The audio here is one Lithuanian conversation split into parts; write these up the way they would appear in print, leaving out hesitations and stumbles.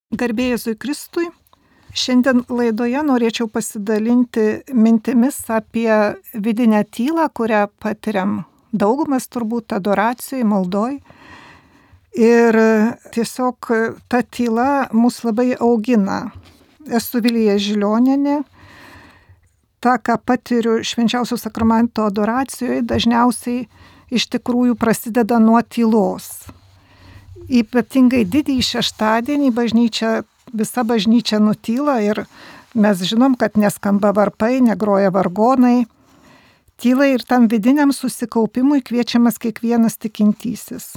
Garbė Jėzui Kristui. Šiandien laidoje norėčiau pasidalinti mintimis apie vidinę tylą, kurią patiriam daugumas turbūt adoracijai, maldoj. Ir tiesiog ta tyla mus labai augina. Esu Vilija Žilionienė. Ta, ką patiriu švenčiausio sakramento adoracijoje, dažniausiai iš tikrųjų prasideda nuo tylos. Ypatingai didįjį šeštadienį visa bažnyčia nutyla ir mes žinom, kad neskamba varpai, negroja vargonai. Tyla ir tam vidiniam susikaupimui kviečiamas kiekvienas tikintysis.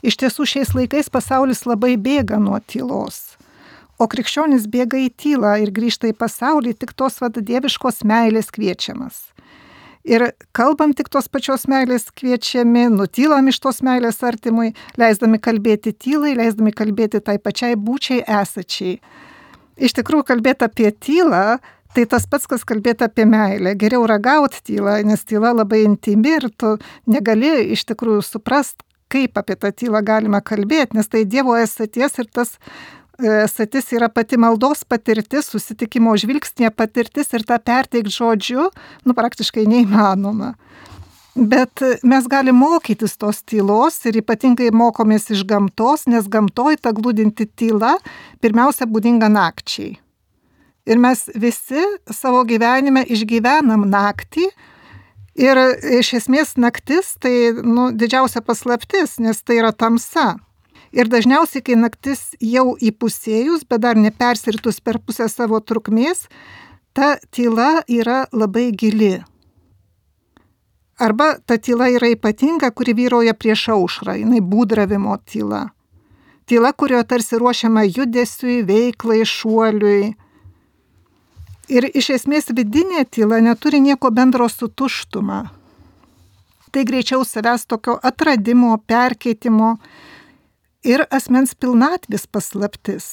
Iš tiesų šiais laikais pasaulis labai bėga nuo tylos, o krikščionis bėga į tylą ir grįžta į pasaulį tik tos dieviškos meilės kviečiamas. Ir kalbam tik tos pačios meilės kviečiami, nutylam iš tos meilės artimui, leisdami kalbėti tylai, leisdami kalbėti tai pačiai būčiai esačiai. Iš tikrųjų, kalbėti apie tylą, tai tas pats, kas kalbėti apie meilę. Geriau ragauti tylą, nes tyla labai intimi ir tu negali iš tikrųjų suprast, kaip apie tą tylą galima kalbėti, nes tai Dievo esaties ir tas esatis yra pati maldos patirtis, susitikimo žvilgsnė patirtis ir tą perteikti žodžiu, praktiškai neįmanoma. Bet mes galime mokytis tos tylos ir ypatingai mokomės iš gamtos, nes gamtoj ta glūdinti tyla pirmiausia būdinga nakčiai. Ir mes visi savo gyvenime išgyvenam naktį ir iš esmės naktis tai didžiausia paslaptis, nes tai yra tamsa. Ir dažniausiai, kai naktis jau įpusėjus, bet dar nepersiritus per pusę savo trukmės, ta tyla yra labai gili. Arba ta tyla yra ypatinga, kuri vyrauja prieš aušrą, jinai būdravimo tyla. Tyla, kurioje tarsi ruošiama judesiui, veiklai, šuoliui. Ir iš esmės vidinė tyla neturi nieko bendro su tuštuma. Tai greičiau savęs tokio atradimo, perkeitimo ir asmens pilnatvės paslaptis.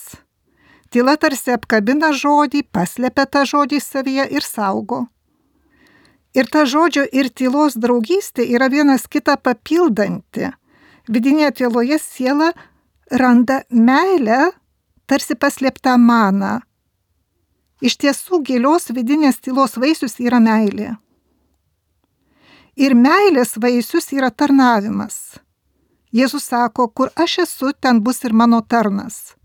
Tyla tarsi apkabina žodį, paslepia tą žodį savyje ir saugo. Ir ta žodžio ir tylos draugystė yra vienas kitą papildanti. Vidinėje tyloje siela randa meilę, tarsi paslėptą maną. Iš tiesų gilios vidinės tylos vaisius yra meilė. Ir meilės vaisius yra tarnavimas. Jėzus sako, kur aš esu, ten bus ir mano tarnas.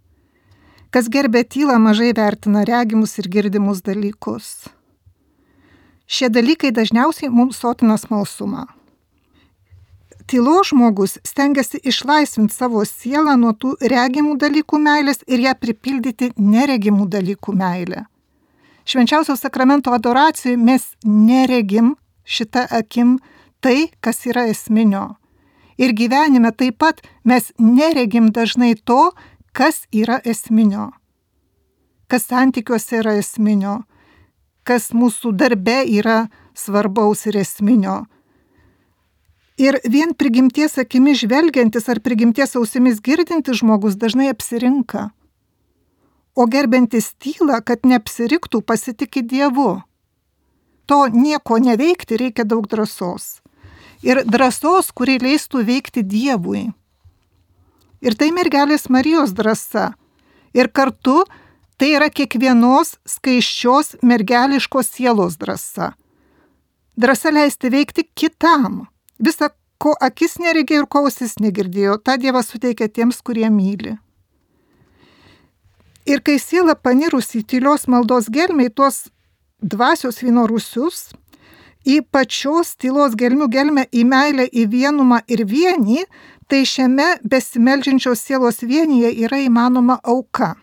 Kas gerbia tylą, mažai vertina regimus ir girdimus dalykus. Šie dalykai dažniausiai mums sotina smalsumą. Tylos žmogus stengiasi išlaisvinti savo sielą nuo tų regimų dalykų meilės ir ją pripildyti neregimų dalykų meilę. Švenčiausio sakramento adoracijoje mes neregim šitą akim tai, kas yra esminio. Ir gyvenime taip pat mes neregim dažnai to, kas yra esminio. Kas santykiuose yra esminio. Kas mūsų darbe yra svarbaus ir esminio. Ir vien prigimties akimis žvelgiantis ar prigimties ausimis girdintis žmogus dažnai apsirinka. O gerbiantis tylą, kad neapsiriktų, pasitiki Dievu. To nieko neveikti reikia daug drąsos. Ir drąsos, kuri leistų veikti Dievui. Ir tai mergelės Marijos drąsa. Ir kartu tai yra kiekvienos skaisčios mergeliškos sielos drąsa. Drąsa leisti veikti kitam. Visa, ko akis neregėjo ir ko ausis negirdėjo, tą Dievas suteikia tiems, kurie myli. Ir kai siela panirus į tylios maldos gelmę, į tuos dvasios vyno rūsius, į pačios tylos gelmę, į meilę, į vienumą ir vienį, tai šiame besimeldžiančios sielos vienyje yra įmanoma auka.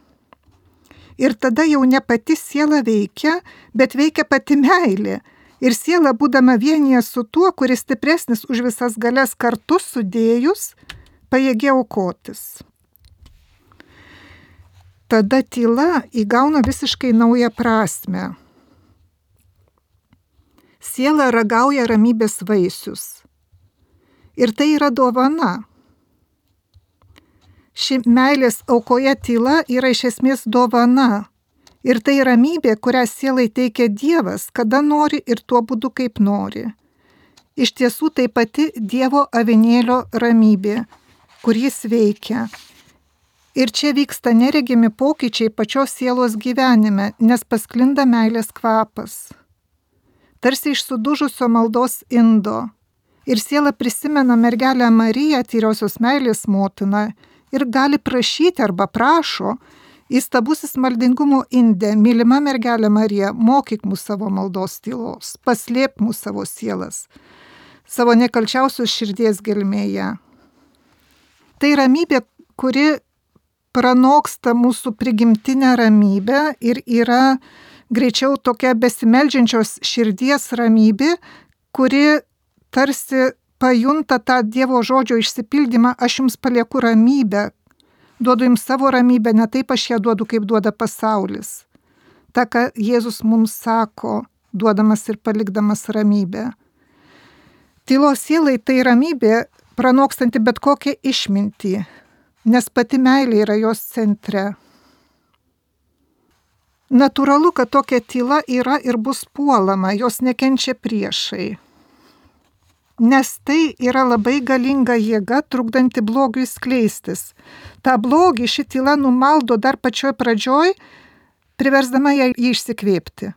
Ir tada jau ne pati siela veikia, bet veikia pati meilė. Ir siela, būdama vienyje su tuo, kuris stipresnis už visas galias kartu sudėjus, pajėgia aukotis. Tada tyla įgauna visiškai naują prasmę. Siela ragauja ramybės vaisius. Ir tai yra dovana. Ši meilės aukoje tyla yra iš esmės dovana. Ir tai ramybė, kurią sielai teikia Dievas, kada nori ir tuo būdu, kaip nori. Iš tiesų tai pati Dievo avinėlio ramybė, kur jis veikia. Ir čia vyksta neregimi pokyčiai pačios sielos gyvenime, nes pasklinda meilės kvapas. Tarsi iš sudužusio maldos indo. Ir siela prisimena mergelę Mariją, tyriosios meilės motiną, ir gali prašyti arba prašo, įstabusis maldingumo inde, mylima mergelė Marija, mokyk mus savo maldos tylos, paslėp mus savo sielas, savo nekalčiausios širdies gelmėje. Tai ramybė, kuri pranoksta mūsų prigimtinę ramybę ir yra greičiau tokia besimeldžiančios širdies ramybė, kuri tarsi pajunta tą Dievo žodžio išsipildymą, aš jums palieku ramybę, duodu jums savo ramybę, ne taip aš ją duodu, kaip duoda pasaulis. Ta, ką Jėzus mums sako, duodamas ir palikdamas ramybę. Tylos sielai tai ramybė, pranokstanti bet kokią išmintį, nes pati meilė yra jos centre. Natūralu, kad tokia tyla yra ir bus puolama, jos nekenčia priešai. Nes tai yra labai galinga jėga, trukdanti blogiui skleistis. Ta blogį ši tyla numaldo dar pačioj pradžioj, priversdama ją išsikvėpti.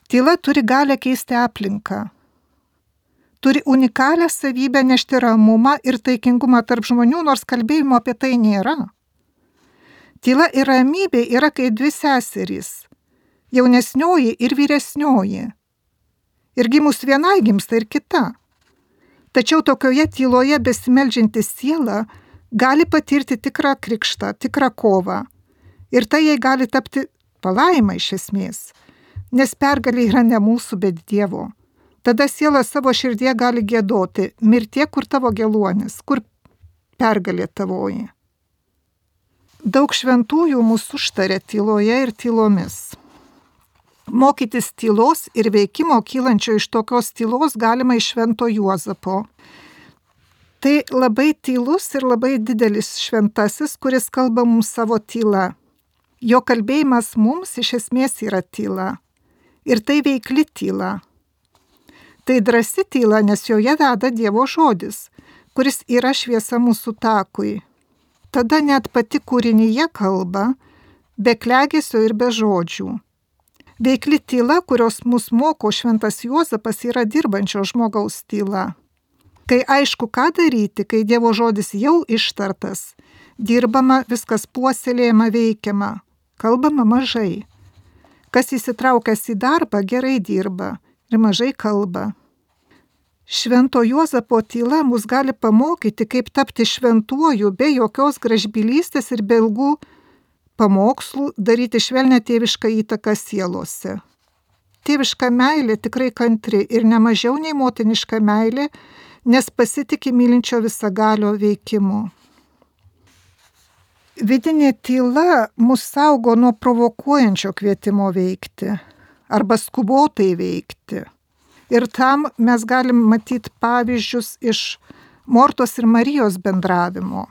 Tyla turi galią keisti aplinką. Turi unikalią savybę nešti ramumą ir taikingumą tarp žmonių, nors kalbėjimo apie tai nėra. Tyla ir ramybė yra kaip dvi seserys, jaunesnioji ir vyresnioji. Ir gimus vienai gimsta ir kita. Tačiau tokioje tyloje besimeldžianti siela gali patirti tikrą krikštą, tikrą kovą. Ir tai jai gali tapti palaima iš esmės, nes pergalė yra ne mūsų, bet Dievo. Tada siela savo širdie gali giedoti, mirtie, kur tavo geluonis, kur pergalė tavoji. Daug šventųjų mūsų užtarė tyloje ir tylomis. Mokytis tylos ir veikimo kylančio iš tokios tylos galima iš Švento Juozapo. Tai labai tylus ir labai didelis šventasis, kuris kalba mums savo tyla. Jo kalbėjimas mums iš esmės yra tyla. Ir tai veikli tyla. Tai drąsi tyla, nes joje veda Dievo žodis, kuris yra šviesa mūsų takui. Tada net pati kūrinyje kalba, be klegesio ir be žodžių. Veikli tyla, kurios mus moko Šventas Juozapas, yra dirbančio žmogaus tyla. Kai aišku, ką daryti, kai Dievo žodis jau ištartas, dirbama, viskas puoselėjama, veikiama, kalbama mažai. Kas įsitraukęs į darbą, gerai dirba ir mažai kalba. Švento Juozapo tyla mus gali pamokyti, kaip tapti šventuoju be jokios gražbylystės ir be ilgų pamokslų, daryti švelnią tėvišką įtaką sielose. Tėviška meilė tikrai kantri ir ne mažiau nei motiniška meilė, nes pasitiki mylinčio visagalio veikimu. Vidinė tyla mus saugo nuo provokuojančio kvietimo veikti arba skubotai veikti. Ir tam mes galim matyti pavyzdžius iš Mortos ir Marijos bendravimo.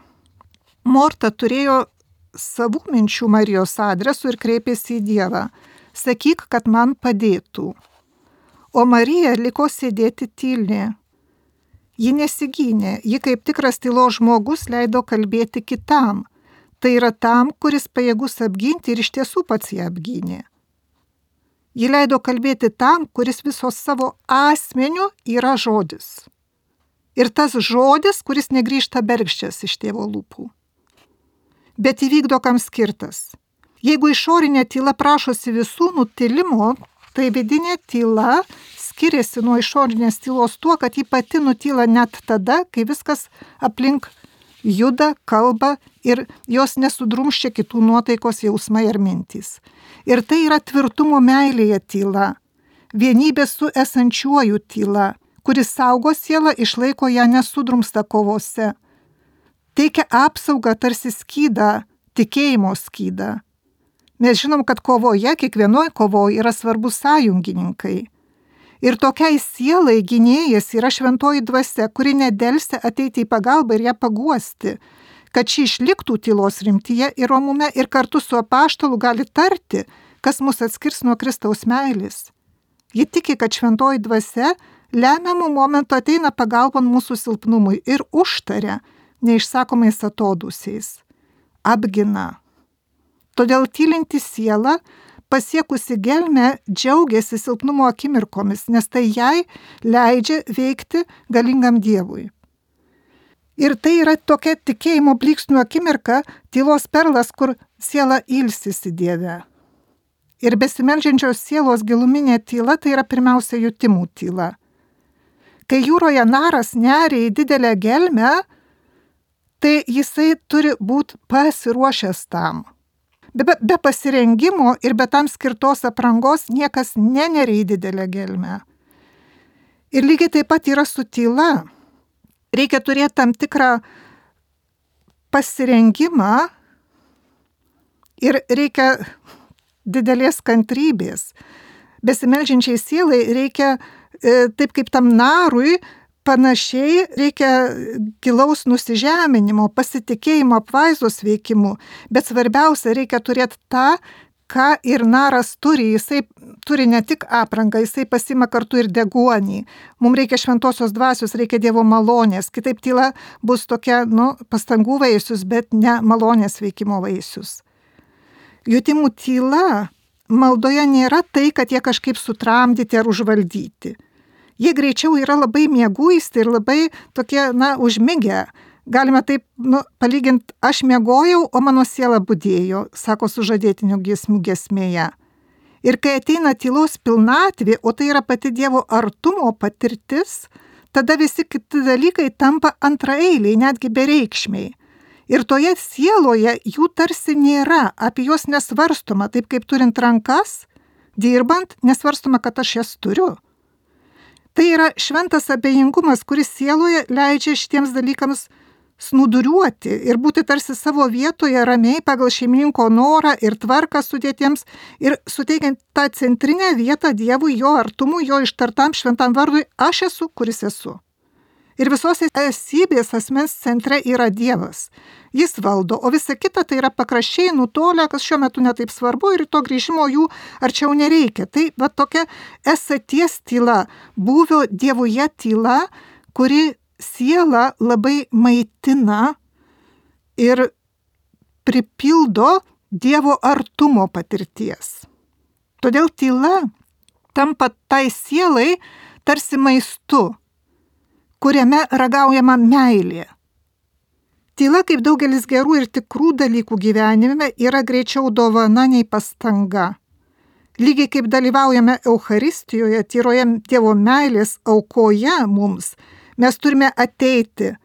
Morta turėjo savų minčių Marijos adresu ir kreipėsi į Dievą. Sakyk, kad man padėtų. O Marija liko sėdėti tyli. Ji nesigynė, ji kaip tikras tylos žmogus leido kalbėti kitam. Tai yra tam, kuris pajėgus apginti ir iš tiesų pats ją apgynė. Ji leido kalbėti tam, kuris visos savo asmeniu yra žodis. Ir tas žodis, kuris negrįžta bergždžias iš tėvo lūpų. Bet įvykdo kam skirtas. Jeigu išorinė tyla prašosi visų nutilimo, tai vidinė tyla skiriasi nuo išorinės tylos tuo, kad ji pati nutyla net tada, kai viskas aplink juda, kalba ir jos nesudrumščia kitų nuotaikos jausmai ar mintys. Ir tai yra tvirtumo meilėje tyla, vienybė su esančiuoju tyla, kuris saugo sielą, išlaiko ją nesudrumstą kovose. Teikia apsaugą tarsi skydą, tikėjimo skydą. Mes žinom, kad kovoje, kiekvienoje kovoje yra svarbus sąjungininkai. Ir tokiai sielai gynėjas yra šventoji dvasia, kuri nedelsia ateiti į pagalbą ir ją paguosti, kad ši išliktų tylos rimtyje ir romume ir kartu su apaštalu gali tarti, kas mus atskirs nuo Kristaus meilės. Ji tiki, kad šventoji dvasia lemiamų momentų ateina pagalbon mūsų silpnumui ir užtaria neišsakomais atodūsiais. apgina. Todėl tylinti siela, pasiekusi gelmę, džiaugiasi silpnumo akimirkomis, nes tai jai leidžia veikti galingam Dievui. Ir tai yra tokia tikėjimo blyksnių akimirka, tylos perlas, kur siela ilsisi Dieve. Ir besimeldžiančios sielos giluminė tyla tai yra pirmiausia jutimų tyla. Kai jūroje naras neria į didelę gelmę, tai jisai turi būti pasiruošęs tam. Be pasirengimo ir be tam skirtos aprangos niekas neneria į didelę gelmę. Ir lygiai taip pat yra su tyla. Reikia turėti tam tikrą pasirengimą ir reikia didelės kantrybės. Besimeldžiančiai sielai reikia, taip kaip tam narui, panašiai reikia gilaus nusižeminimo, pasitikėjimo apvaizdos veikimų, bet svarbiausia reikia turėti tą, ką ir naras turi. Jisai turi ne tik aprangą, jisai pasima kartu ir deguonį. Mums reikia šventosios dvasios, reikia Dievo malonės. Kitaip tyla bus tokia, pastangų vaisius, bet ne malonės veikimo vaisius. Jutimų tyla maldoje nėra tai, kad jie kažkaip sutramdyti ar užvaldyti. Jie greičiau yra labai mieguisti ir labai tokie, užmigę. Galime taip, palyginti, aš miegojau, o mano siela budėjo, sako sužadėtinių giesmių giesmėje. Ir kai ateina tylos pilnatvė, o tai yra pati Dievo artumo patirtis, tada visi kiti dalykai tampa antraeiliai, netgi bereikšmiai. Ir toje sieloje jų tarsi nėra, apie juos nesvarstoma, taip kaip turint rankas, dirbant, nesvarstoma, kad aš jas turiu. Tai yra šventas abejingumas, kuris sieloje leidžia šitiems dalykams snūduriuoti ir būti tarsi savo vietoje ramiai pagal šeimininko norą ir tvarką sudėtiems ir suteikiant tą centrinę vietą Dievui, jo artumui, jo ištartam šventam vardui, aš esu, kuris esu. Ir visos esybės asmens centre yra Dievas. Jis valdo, o visa kita tai yra pakraščiai nutolę, kas šiuo metu netaip svarbu ir to grįžimo jų arčiau nereikia. Tai va tokia esaties tyla, buvio Dievuje tyla, kuri sielą labai maitina ir pripildo Dievo artumo patirties. Todėl tyla tampa tai sielai tarsi maistu, kuriame ragaujama meilė. Tyla, kaip daugelis gerų ir tikrų dalykų gyvenime, yra greičiau dovana nei pastanga. Lygiai kaip dalyvaujame Eucharistijoje, tyroje Dievo meilės aukoje mums, mes turime ateiti,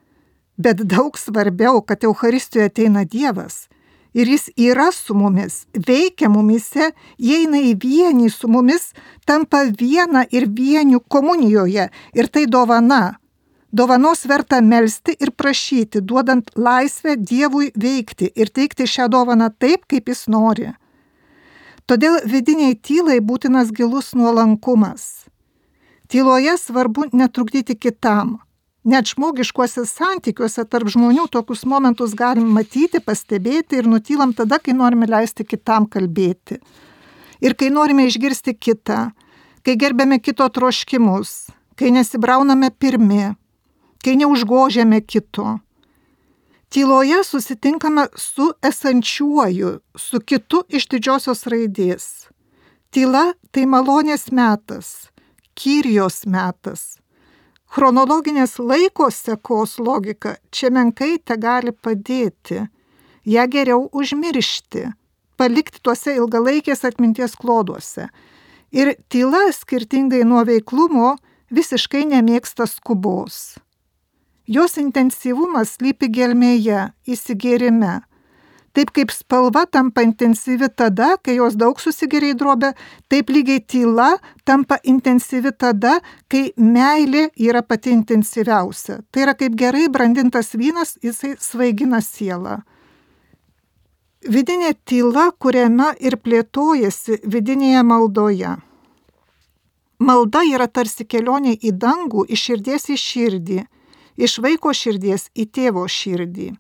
bet daug svarbiau, kad Eucharistijoje ateina Dievas. Ir jis yra su mumis, veikia mumise, įeina į vienį su mumis, tampa viena ir vieniu komunijoje. Ir tai dovana. Dovanos verta melsti ir prašyti, duodant laisvę Dievui veikti ir teikti šią dovaną taip, kaip jis nori. Todėl vidiniai tylai būtinas gilus nuolankumas. Tyloje svarbu netrukdyti kitam. Net žmogiškuose santykiuose tarp žmonių tokius momentus galim matyti, pastebėti ir nutylam tada, kai norime leisti kitam kalbėti. Ir kai norime išgirsti kitą, kai gerbėme kito troškimus, kai nesibrauname pirmi, kai neužgožiame kito. Tyloje susitinkame su esančiuoju, su kitu iš didžiosios raidės. Tyla tai malonės metas, kyrijos metas. Chronologinės laiko sekos logika čia menkai tegali padėti, ją geriau užmiršti, palikti tuose ilgalaikės atminties kloduose. Ir tyla, skirtingai nuo veiklumo, visiškai nemėgsta skubos. Jos intensyvumas slypi gelmėje, įsigėrime. Taip kaip spalva tampa intensyvi tada, kai jos daug susigeria į drobę, taip lygiai tyla tampa intensyvi tada, kai meilė yra pati intensyviausia. Tai yra kaip gerai brandintas vynas, jisai svaigina sielą. Vidinė tyla kuriama ir plėtojasi vidinėje maldoje. Malda yra tarsi kelionė į dangų, iš širdies į širdį, iš vaiko širdies į tėvo širdį.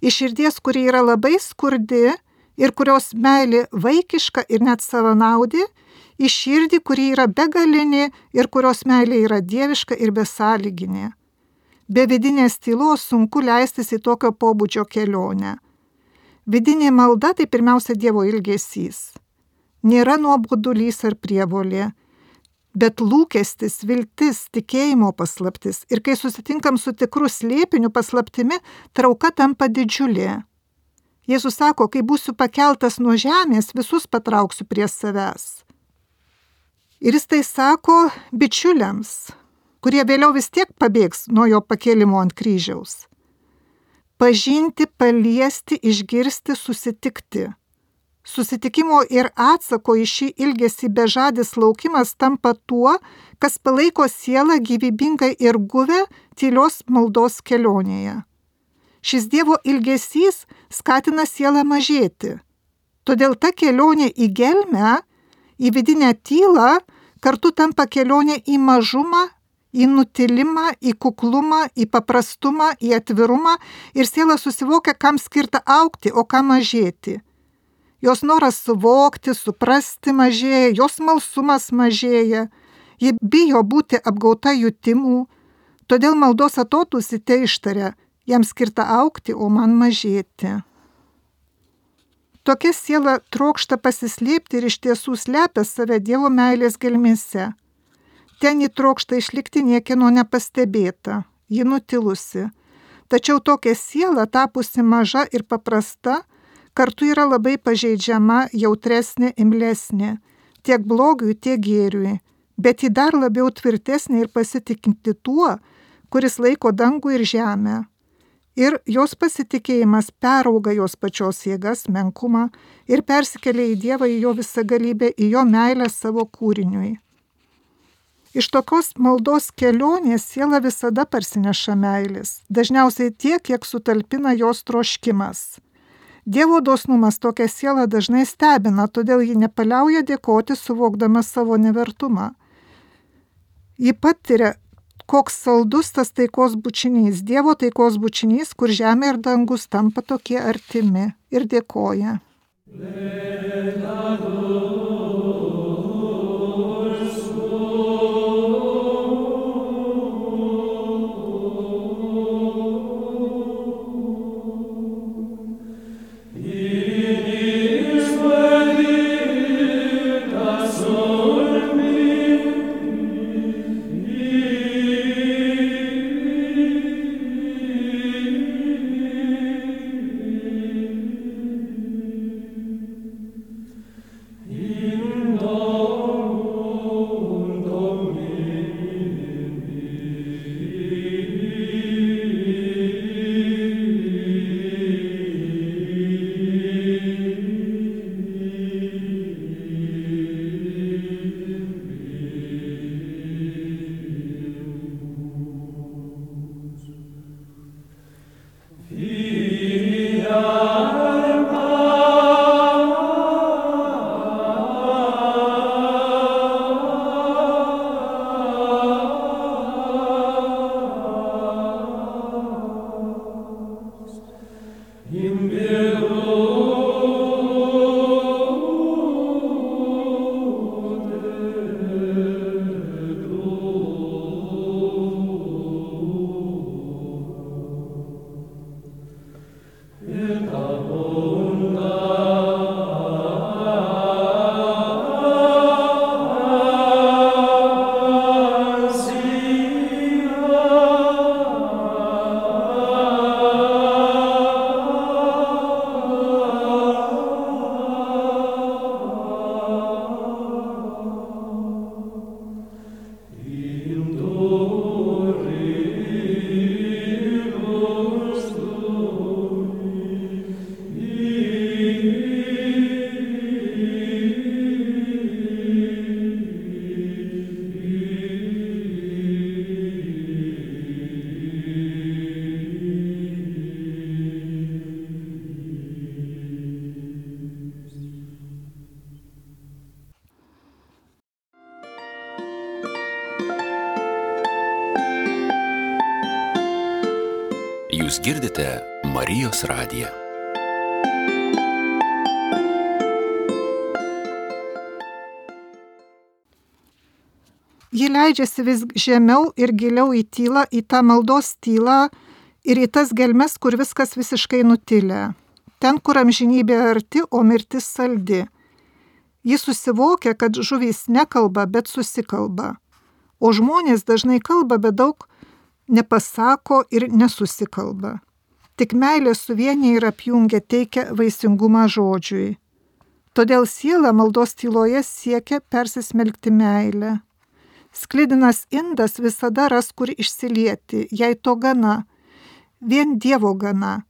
Iš širdies, kuri yra labai skurdi ir kurios meilė vaikiška ir net savanaudė, į širdį, kuri yra begalinė ir kurios meilė yra dieviška ir besąlyginė. Be vidinės tylos sunku leistis į tokio pobūdžio kelionę. Vidinė malda tai pirmiausia Dievo ilgesys. Nėra nuobodulys ar prievolė, bet lūkestis, viltis, tikėjimo paslaptis. Ir kai susitinkam su tikru slėpiniu paslaptimi, trauka tampa didžiulė. Jėzus sako, kai būsiu pakeltas nuo žemės, visus patrauksiu prie savęs. Ir jis tai sako bičiuliams, kurie vėliau vis tiek pabėgs nuo jo pakėlimo ant kryžiaus. Pažinti, paliesti, išgirsti, susitikti. Susitikimo ir atsako į šį ilgesį bežadis laukimas tampa tuo, kas palaiko sielą gyvybingai ir guvę tylios maldos kelionėje. Šis Dievo ilgesys skatina sielą mažėti. Todėl ta kelionė į gelmę, į vidinę tylą, kartu tampa kelionė į mažumą, į nutilimą, į kuklumą, į paprastumą, į atvirumą ir siela susivokia, kam skirta augti, o kam mažėti. Jos noras suvokti, suprasti mažėja, jos smalsumas mažėja, ji bijo būti apgauta jutimų, todėl maldos atodūsį te ištaria, jam skirta augti, o man mažėti. Tokia siela trokšta pasislėpti ir iš tiesų slepia save Dievo meilės gelmėse. Ten ji trokšta išlikti niekieno nepastebėta, ji nutilusi. Tačiau tokia siela, tapusi maža ir paprasta, kartu yra labai pažeidžiama, jautresnė, imlesnė, tiek blogiui, tiek gėriui, bet ji dar labiau tvirtesnė ir pasitikinti tuo, kuris laiko dangų ir žemę. Ir jos pasitikėjimas perauga jos pačios jėgas, menkumą ir persikelia į Dievą, į jo visagalybę, į jo meilę savo kūriniui. Iš tokios maldos kelionės siela visada parsineša meilės, dažniausiai tiek, kiek sutalpina jos troškimas. Dievo dosnumas tokią sielą dažnai stebina, todėl ji nepaliauja dėkoti, suvokdama savo nevertumą. Ji patiria, koks saldus tas taikos bučinys, Dievo taikos bučinys, kur žemė ir dangus tampa tokie artimi, ir dėkoja. Jūs girdite Marijos radiją. Ji leidžiasi vis žemiau ir giliau į tylą, į tą maldos tylą ir į tas gelmes, kur viskas visiškai nutilę. ten, kur amžinybė arti, o mirtis saldi. Jis susivokia, kad žuvys nekalba, bet susikalba. O žmonės dažnai kalba, bet daug nepasako ir nesusikalba. Tik meilė suvienyje ir apjungia, teikia vaisingumą žodžiui. Todėl siela maldos tyloje siekia persismelkti meilę. Sklidinas indas visada ras, kur išsilieti, jei to gana. Vien Dievo gana.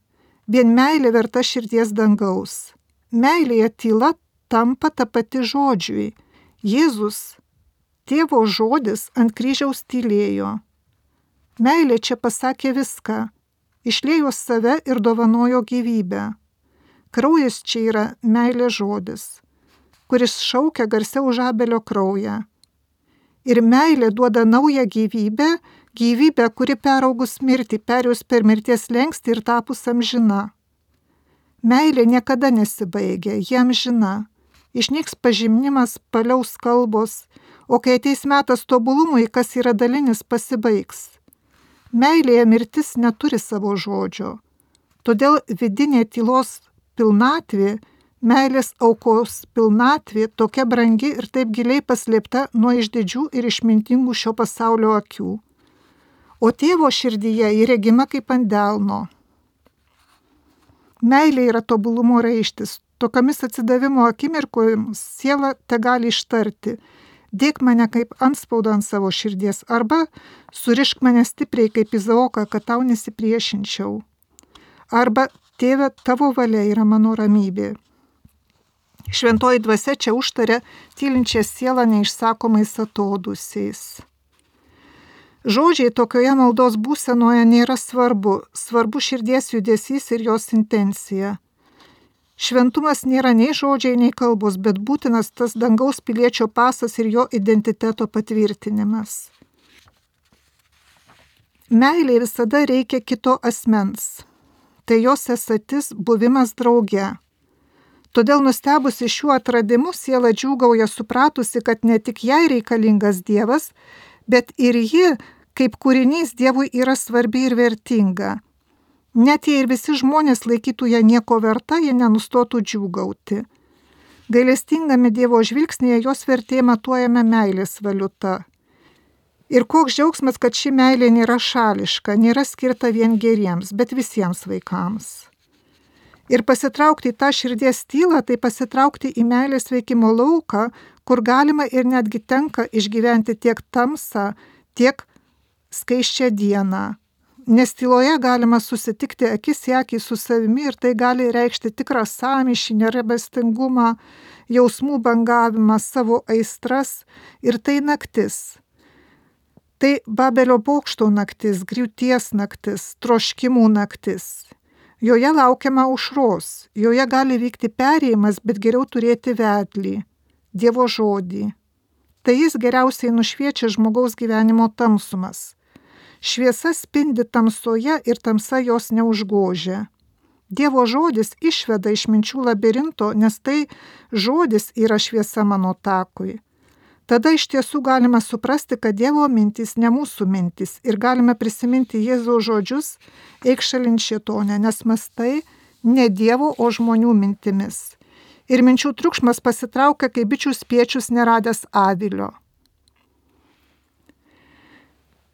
Vien meilė verta širdies dangaus. Meilėje tyla tampa ta pati žodžiui. Jėzus, Tėvo žodis, ant kryžiaus tylėjo. Meilė čia pasakė viską. Išliejo save ir dovanojo gyvybę. Kraujas čia yra meilės žodis, kuris šaukia garsiau už Abelio kraują. Ir meilė duoda naują gyvybę, gyvybę, kuri peraugus mirtį, perėjus per mirties slenkstį ir tapus amžina. Meilė niekada nesibaigia, ji amžina. Išnyks pažinimas, paliaus kalbos, o kai ateis metas tobulumui, kas yra dalinis, pasibaigs. Meilėje mirtis neturi savo žodžio. Todėl vidinė tylos pilnatvė, meilės aukos pilnatvė tokia brangi ir taip giliai paslėpta nuo išdidžių ir išmintingų šio pasaulio akių. O Tėvo širdyje ji regima kaip ant delno. Meilė yra tobulumo raištis. Tokiamis atsidavimo akimirkomis siela tegali ištarti: dėk mane kaip antspaudą ant savo širdies, arba surišk mane stipriai kaip Izaoką, kad tau nesipriešinčiau. Arba Tėve, tavo valia yra mano ramybė. Šventoji dvasia čia užtaria tylinčią sielą neišsakomais atodūsiais. Žodžiai tokioje maldos būsenoje nėra svarbu, svarbu širdies judesys ir jos intencija. Šventumas nėra nei žodžiai, nei kalbos, bet būtinas tas dangaus piliečio pasas ir jo identiteto patvirtinimas. Meilei visada reikia kito asmens. Tai jos esatis, buvimas drauge. Todėl nustebusi šiuo atradimu siela džiūgauja supratusi, kad ne tik jai reikalingas Dievas, bet ir ji, kaip kūrinys, Dievui yra svarbi ir vertinga. Net jei ir visi žmonės laikytų ją nieko verta, jie nenustotų džiūgauti. Gailestingame Dievo žvilgsnėje jos vertė matuojame meilės valiuta. Ir koks džiaugsmas, kad ši meilė nėra šališka, nėra skirta vien geriems, bet visiems vaikams. Ir pasitraukti į tą širdies tylą, tai pasitraukti į meilės veikimo lauką, kur galima ir netgi tenka išgyventi tiek tamsą, tiek skaisčią dieną. Nes tyloje galima susitikti akis į akį su savimi ir tai gali reikšti tikrą sąmyšį, nerabestingumą, jausmų bangavimą, savo aistras, ir tai naktis. Tai Babelio bokšto naktis, griūties naktis, troškimų naktis. Joje laukiama aušros, joje gali vykti perėjimas, bet geriau turėti vedlį, Dievo žodį. Tai jis geriausiai nušviečia žmogaus gyvenimo tamsumas. Šviesa spindi tamsoje ir tamsa jos neužgožia. Dievo žodis išveda iš minčių labirinto, nes tai žodis yra šviesa mano takui. Tada iš tiesų galime suprasti, kad Dievo mintys ne mūsų mintys ir galime prisiminti Jėzaus žodžius: eik šalin šėtone, nes mąstai ne Dievo, o žmonių mintimis. Ir minčių triukšmas pasitraukia, kaip bičių spiečius neradęs avilio.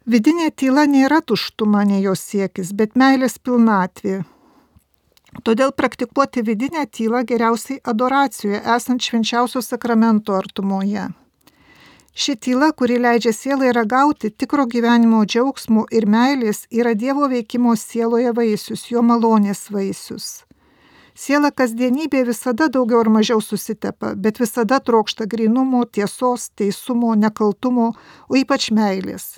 Vidinė tyla nėra tuštuma, nei jos siekis, bet meilės pilnatvė. Todėl praktikuoti vidinę tylą geriausiai adoracijoje, esant švenčiausio sakramento artumoje. Ši tyla, kuri leidžia sielai ragauti tikro gyvenimo džiaugsmo ir meilės, yra Dievo veikimo sieloje vaisius, jo malonės vaisius. Siela kasdienybė visada daugiau ar mažiau susitepa, bet visada trokšta grynumo, tiesos, teisumo, nekaltumo, o ypač meilės.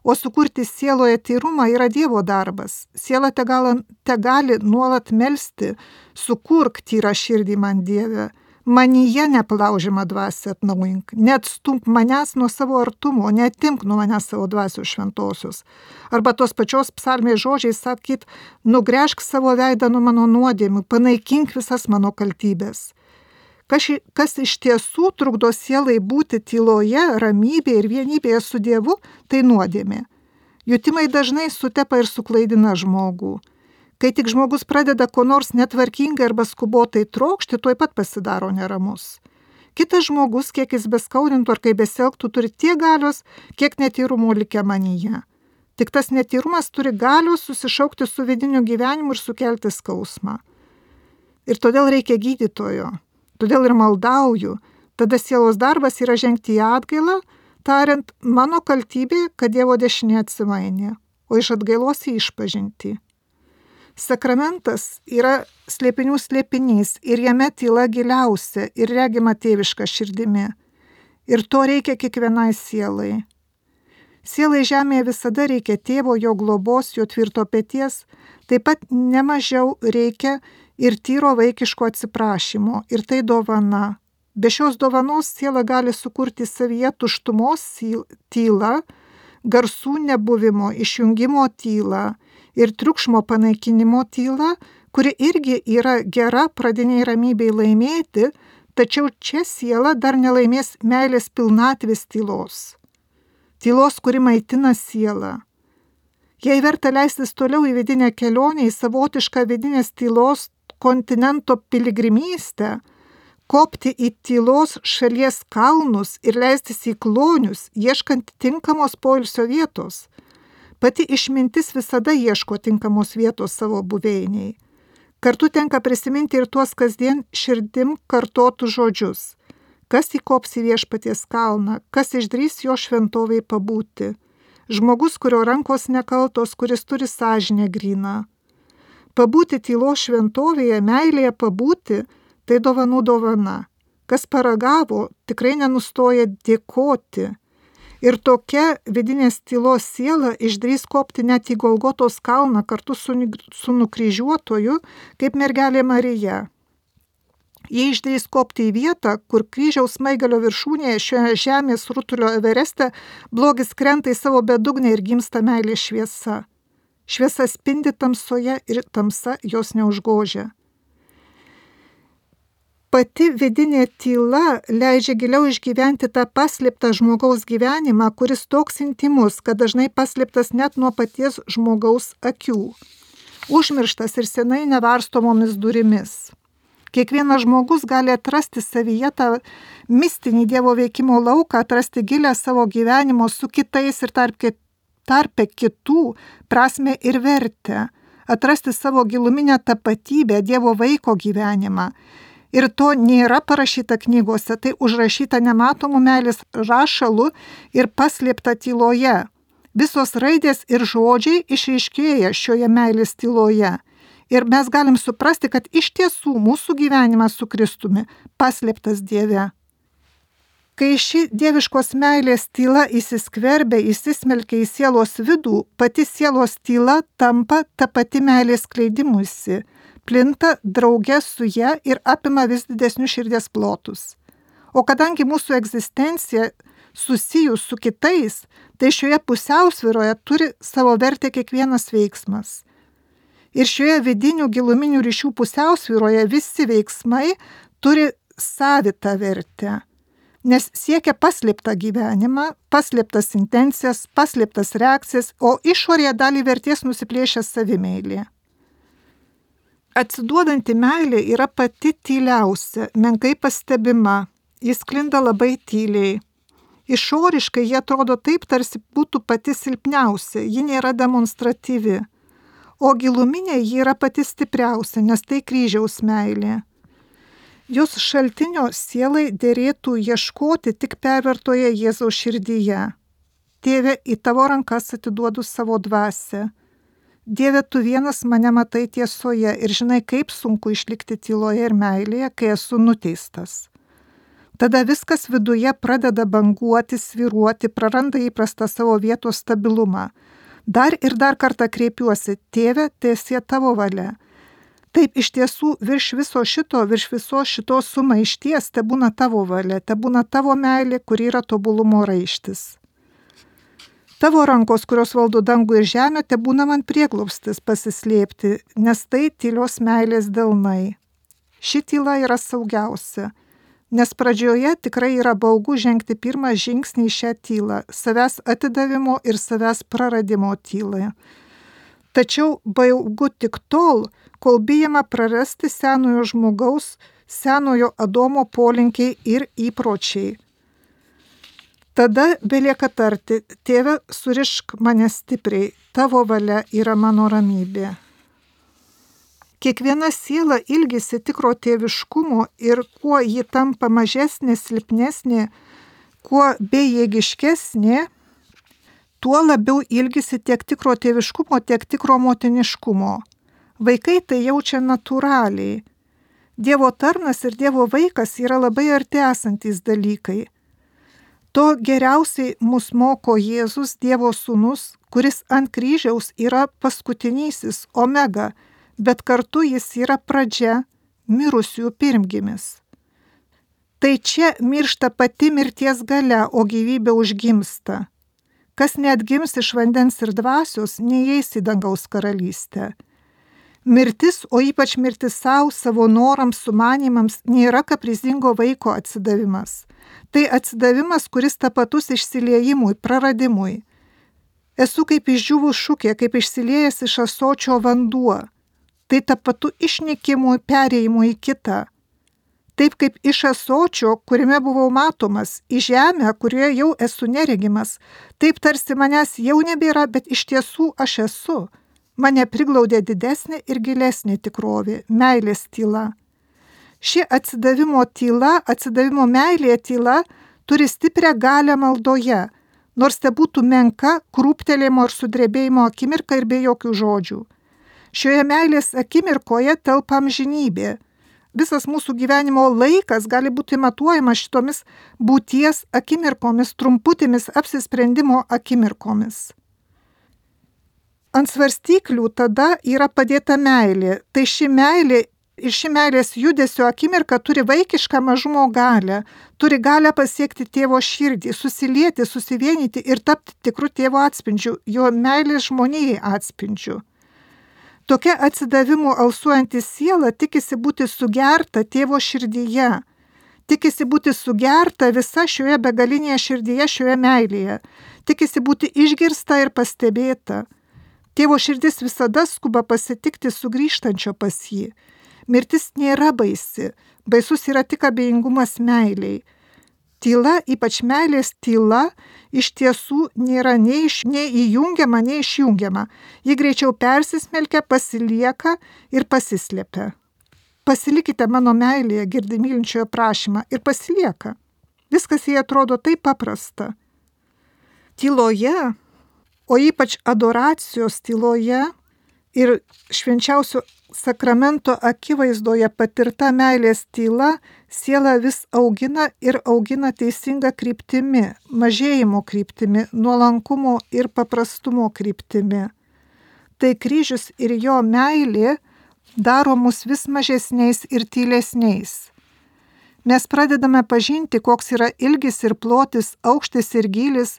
O sukurti sieloje tyrumą yra Dievo darbas. Siela tegali nuolat melsti: sukurk tyrą širdį man, Dieve, manyje neplaužiamą dvasią atnaujink, neatstumk manęs nuo savo artumo, neatimk nuo manęs savo dvasios šventosios. Arba tos pačios psalmės žodžiai sakyt: nugręžk savo veidą nuo mano nuodėmių, panaikink visas mano kaltybės. Kas iš tiesų trukdo sielai būti tyloje, ramybėje ir vienybėje su Dievu, tai nuodėmė. Jutimai dažnai sutepa ir suklaidina žmogų. Kai tik žmogus pradeda ko nors netvarkingai arba skubotai trokšti, tuoj pat pasidaro neramus. Kitas žmogus, kiek jis beskaudintų ar kaip besielgtų, turi tiek galios, kiek netyrumo likę manyje. Tik tas netyrumas turi galios susišaukti su vidiniu gyvenimu ir sukelti skausmą. Ir todėl reikia gydytojo. Todėl ir maldauju. Tada sielos darbas yra žengti į atgailą, tariant, mano kaltybė, kad Dievo dešinė atsimainė, o iš atgailos į išpažintį. Sakramentas yra slėpinių slėpinys ir jame tyla giliausia ir regima tėviška širdimi. Ir to reikia kiekvienai sielai. Sielai žemėje visada reikia tėvo, jo globos, jo tvirto peties, taip pat nemažiau reikia ir tyro vaikiško atsiprašymo, ir tai dovana. Be šios dovanos siela gali sukurti savyje tuštumos tylą, garsų nebuvimo, išjungimo tylą ir triukšmo panaikinimo tylą, kuri irgi yra gera pradiniai ramybei laimėti, tačiau čia siela dar nelaimės meilės pilnatvės tylos. Tylos, kuri maitina sielą. Jei verta leistis toliau į vidinę kelionę, į savotišką vidinės tylos kontinento piligrimystę, kopti į tylos šalies kalnus ir leistis į klonius, ieškant tinkamos poilsio vietos. Pati išmintis visada ieško tinkamos vietos savo buveiniai. Kartu tenka prisiminti ir tuos kasdien širdim kartotų žodžius. Kas įkops į viešpaties kalną, kas išdrys jo šventovei pabūti. Žmogus, kurio rankos nekaltos, kuris turi sąžinę gryną. Pabūti tylos šventovėje, meilėje pabūti, tai dovanų dovana. Kas paragavo, tikrai nenustoja dėkoti. Ir tokia vidinės tylos siela išdrys kopti net į Golgotos kalną kartu su nukryžiuotoju, kaip mergelė Marija. Jie išdrys kopti į vietą, kur kryžiaus smaigalio viršūnėje šioje žemės rutulio Evereste blogis krenta į savo bedugnę ir gimsta meilės šviesa. Šviesa spindi tamsoje ir tamsa jos neužgožia. Pati vidinė tyla leidžia giliau išgyventi tą paslėptą žmogaus gyvenimą, kuris toks intimus, kad dažnai paslėptas net nuo paties žmogaus akių. Užmirštas ir senai nevarstomomis durimis. Kiekvienas žmogus gali atrasti savyje tą mistinį Dievo veikimo lauką, atrasti gilę savo gyvenimo su kitais ir tarpe kitų prasmę ir vertę, atrasti savo giluminę tapatybę, Dievo vaiko gyvenimą. Ir to nėra parašyta knygose, tai užrašyta nematomų meilės rašalu ir paslėpta tyloje. Visos raidės ir žodžiai išryškėja šioje meilės tyloje. Ir mes galim suprasti, kad iš tiesų mūsų gyvenimas su Kristumi paslėptas Dieve. Kai ši dieviškos meilės tyla įsiskverbia, įsismelkia į sielos vidų, pati sielos tyla tampa ta pati meilės skleidimusi, plinta drauge su ja ir apima vis didesnius širdies plotus. O kadangi mūsų egzistencija susijus su kitais, tai šioje pusiausvyroje turi savo vertę kiekvienas veiksmas. Ir šioje vidinių giluminių ryšių pusiausvyroje visi veiksmai turi savitą vertę, nes siekia paslėptą gyvenimą, paslėptas intencijas, paslėptas reakcijas, o išorėje dalį vertės nusiplėšia savimeilė. Atsiduodanti meilė yra pati tyliausia, menkai pastebima, jis sklinda labai tyliai. Išoriškai jie atrodo taip, tarsi būtų pati silpniausia, ji nėra demonstratyvi. O giluminė ji yra pati stipriausia, nes tai kryžiaus meilė. Jos šaltinio sielai derėtų ieškoti tik pervertoje Jėzaus širdyje. Tėve, į tavo rankas atiduodu savo dvasią. Dieve, tu vienas mane matai tiesoje ir žinai, kaip sunku išlikti tyloje ir meilėje, kai esu nuteistas. Tada viskas viduje pradeda banguoti, svyruoti, praranda įprastą savo vietos stabilumą. Dar ir dar kartą kreipiuosi, Tėve, teesie tavo valia. Taip, iš tiesų, virš visos šitos sumaišties tebūna tavo valia, tebūna tavo meilė, kuri yra tobulumo raištis. Tavo rankos, kurios valdo dangų ir žemę, tebūna man prieglobstis pasislėpti, nes tai tylios meilės delnai. Ši tyla yra saugiausia, nes pradžioje tikrai yra baugu žengti pirmą žingsnį į šią tylą, savęs atidavimo ir savęs praradimo tylą. Tačiau baugu tik tol, kol bijama prarasti senojo žmogaus, senojo Adomo polinkiai ir įpročiai. Tada belieka tarti, tėve, surišk mane stipriai, tavo valia yra mano ramybė. Kiekviena siela ilgisi tikro tėviškumo ir kuo ji tampa mažesnė, silpnesnė, kuo bejėgiškesnė, tuo labiau ilgisi tiek tikro tėviškumo, tiek tikro motiniškumo. Vaikai tai jaučia natūraliai. Dievo tarnas ir Dievo vaikas yra labai arti esantys dalykai. To geriausiai mus moko Jėzus, Dievo sūnus, kuris ant kryžiaus yra paskutinysis, omega, bet kartu jis yra pradžia, mirusiųjų pirmgimis. Tai čia miršta pati mirties galia, o gyvybė užgimsta. Kas neatgims iš vandens ir dvasios, neįeis į dangaus karalystę. Mirtis, o ypač mirtis savo norams, sumanimams, nėra kaprizingo vaiko atsidavimas. Tai atsidavimas, kuris tapatus išsiliejimui, praradimui. Esu kaip išdžiūvus šukė, kaip išsiliejęs iš ąsočio vanduo. Tai tapatu išnykimui, perėjimui į kitą. Taip kaip iš ąsočio, kuriame buvau matomas, į žemę, kurioje jau esu neregimas, taip tarsi manęs jau nebėra, bet iš tiesų aš esu. Mane priglaudė didesnė ir gilesnė tikrovė, meilės tyla. Ši atsidavimo tyla, atsidavimo meilė tyla turi stiprią galią maldoje, nors te būtų menka, krūptelėjimo ir sudrebėjimo akimirka ir be jokių žodžių. Šioje meilės akimirkoje telpa amžinybė. Visas mūsų gyvenimo laikas gali būti matuojamas šitomis būties akimirkomis, trumputėmis apsisprendimo akimirkomis. Ant svarstyklių tada yra padėta meilė. Tai ši meilė ir ši meilės judesio akimirka turi vaikišką mažumo galią, turi galią pasiekti tėvo širdį, susilieti, susivienyti ir tapti tikru tėvo atspindžiu, jo meilės žmonijai atspindžiu. Tokia atsidavimu alsuojanti siela tikisi būti sugerta tėvo širdyje, tikisi būti sugerta visa šioje begalinėje širdyje, šioje meilėje, tikisi būti išgirsta ir pastebėta. Tėvo širdis visada skuba pasitikti sugrįžtančio pas jį. Mirtis nėra baisi, baisus yra tik abejingumas meiliai. Tyla, ypač meilės tyla, iš tiesų nėra nei įjungiama, nei išjungiama. Ji greičiau persismelkia, pasilieka ir pasislėpia. Pasilikite mano meilėje, girdi mylinčiojo prašymą, ir pasilieka. Viskas jai atrodo taip paprasta. Tyloje, o ypač adoracijos tyloje ir švenčiausio sakramento akivaizdoje patirta meilės tyla sielą vis augina ir augina teisinga kryptimi, mažėjimo kryptimi, nuolankumo ir paprastumo kryptimi. Tai kryžius ir jo meilė daro mus vis mažesniais ir tylesniais. Mes pradedame pažinti, koks yra ilgis ir plotis, aukštis ir gylis,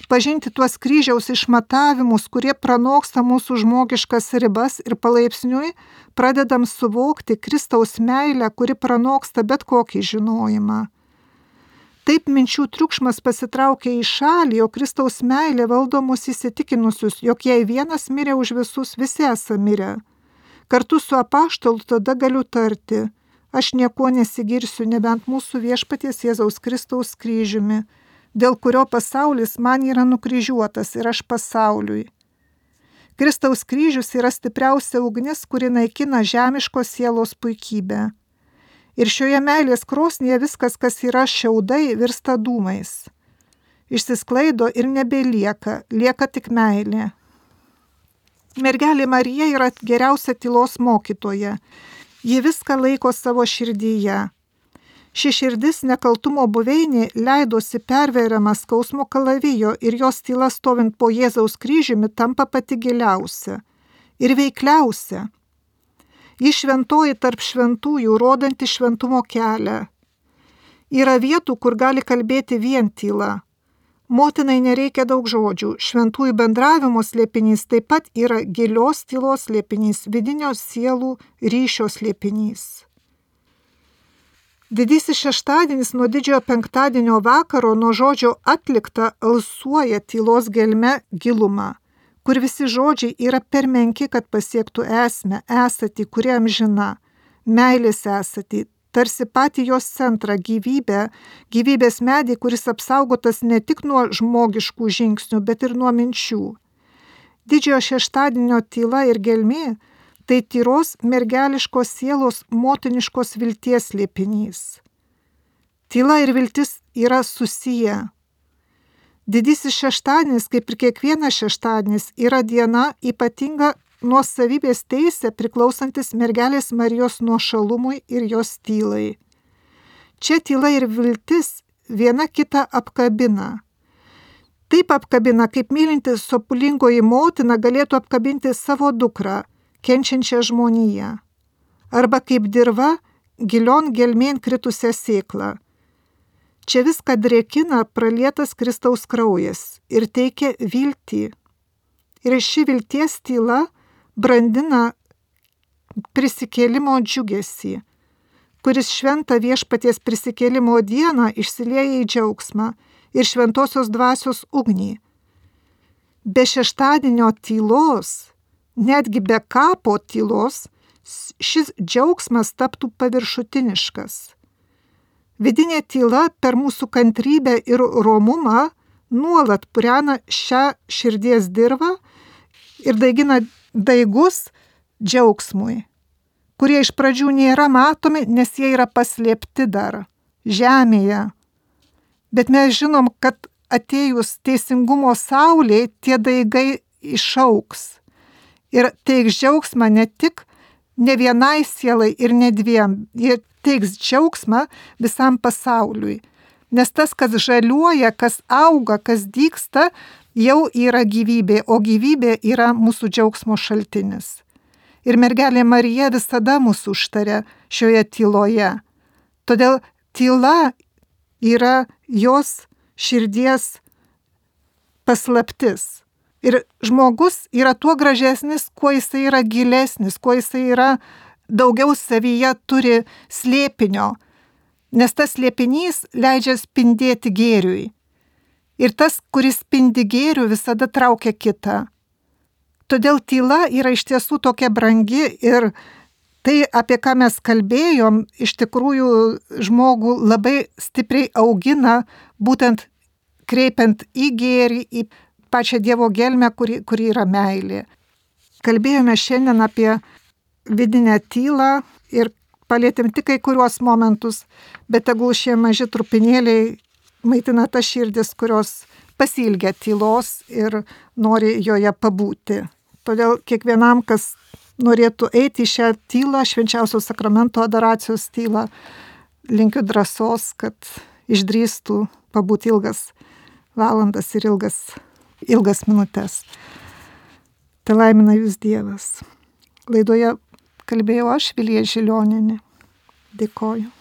pažinti tuos kryžiaus išmatavimus, kurie pranoksta mūsų žmogiškas ribas ir palaipsniui pradedam suvokti Kristaus meilę, kuri pranoksta bet kokį žinojimą. Taip minčių triukšmas pasitraukia į šalį, o Kristaus meilė valdo mus įsitikinusius, jog jei vienas mirė už visus, visi esame mirę. Kartu su apaštalu tada galiu tarti: aš niekuo nesigirsiu, nebent mūsų viešpaties Jėzaus Kristaus kryžiumi, dėl kurio pasaulis man yra nukryžiuotas ir aš pasauliui. Kristaus kryžius yra stipriausia ugnis, kuri naikina žemiškos sielos puikybę. Ir šioje meilės krosnyje viskas, kas yra šiaudai, virsta dūmais. Išsisklaido ir nebelieka, lieka tik meilė. Mergelė Marija yra geriausia tylos mokytoja. Ji viską laiko savo širdyje. Ši širdis nekaltumo buveinė leidosi perveriama skausmo kalavijo ir jos tyla stovint po Jėzaus kryžiumi tampa pati giliausia ir veikliausia. Ji šventoji tarp šventųjų, rodanti šventumo kelią. Yra vietų, kur gali kalbėti vien tyla. Motinai nereikia daug žodžių. Šventųjų bendravimo slėpinys taip pat yra gilios tylos slėpinys, vidinio sielų ryšio slėpinys. Didysis šeštadienis nuo didžiojo penktadienio vakaro nuo žodžio atlikta alsuoja tylos gelme gilumą, kur visi žodžiai yra per menki, kad pasiektų esmę, esatį, kuri amžina, meilės esatį, tarsi patį jos centrą, gyvybę, gyvybės medį, kuris apsaugotas ne tik nuo žmogiškų žingsnių, bet ir nuo minčių. Didžiojo šeštadienio tyla ir gelmė – tai tyros mergeliškos sielos motiniškos vilties slėpinys. Tyla ir viltis yra susiję. Didysis šeštadienis, kaip ir kiekvienas šeštadienis, yra diena ypatinga nuosavybės teisė priklausantis mergelės Marijos nuošalumui ir jos tylai. Čia tyla ir viltis viena kitą apkabina. Taip apkabina, kaip mylinti sopulingoji motina galėtų apkabinti savo dukrą, kenčiančią žmoniją. Arba kaip dirva gilion gelmėn kritusią sėklą. Čia viską drėkina pralietas Kristaus kraujas ir teikia viltį. Ir ši vilties tyla brandina prisikėlimo džiugesį, kuris šventą viešpaties prisikėlimo dieną išsilieja į džiaugsmą ir šventosios dvasios ugnį. Be šeštadienio tylos, netgi be kapo tylos, šis džiaugsmas taptų paviršutiniškas. Vidinė tyla per mūsų kantrybę ir romumą nuolat purena šią širdies dirvą ir daigina daigus džiaugsmui, kurie iš pradžių nėra matomi, nes jie yra paslėpti dar žemėje. Bet mes žinom, kad atėjus teisingumo saulė, tie daigai išauks ir teiks džiaugsmą ne vienai sielai ir ne dviem, jie teiks džiaugsmą visam pasauliui. Nes tas, kas žaliuoja, kas auga, kas dygsta, jau yra gyvybė, o gyvybė yra mūsų džiaugsmo šaltinis. Ir mergelė Marija visada mūsų užtaria šioje tyloje. Todėl tyla yra jos širdies paslaptis. Ir žmogus yra tuo gražesnis, kuo jisai yra gilesnis, kuo jisai yra daugiau savyje turi slėpinio, nes tas slėpinys leidžia spindėti gėriui. Ir tas, kuris spindi gėrių, visada traukia kitą. Todėl tyla yra iš tiesų tokia brangi ir tai, apie ką mes kalbėjom, iš tikrųjų žmogų labai stipriai augina, būtent kreipiant į gėrį, į pačią Dievo gelmę, kuri yra meilė. Kalbėjome šiandien apie vidinę tylą ir palėtėm tik kai kuriuos momentus, bet tegul šie maži trupinėliai maitina tas širdis, kurios pasiilgia tylos ir nori joje pabūti. Todėl kiekvienam, kas norėtų eiti į šią tylą, švenčiausio sakramento adoracijos tylą, linkiu drąsos, kad išdrįstų pabūti ilgas valandas ir ilgas minutes. Tai laimina jūs Dievas. Laidoje kalbėjau aš, Vilija Žilionienė. Dėkoju.